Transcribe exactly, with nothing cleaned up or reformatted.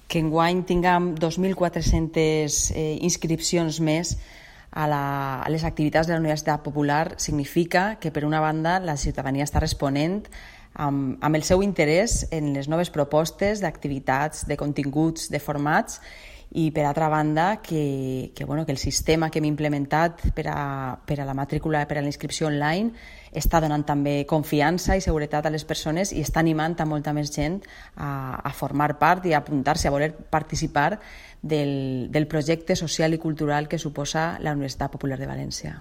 Que enguany tinguem dos mil quatre-centes eh, inscripcions més a, la, a les activitats de la Universitat Popular significa que, per una banda, la ciutadania està responent amb, amb el seu interès en les noves propostes d'activitats, de continguts, de formats, i per altra banda que, que, bueno, que el sistema que hem implementat per a, per a la matrícula, per a la inscripció online està donant també confiança i seguretat a les persones i està animant a molta més gent a, a formar part i a apuntar-se, a voler participar del, del projecte social i cultural que suposa la Universitat Popular de València.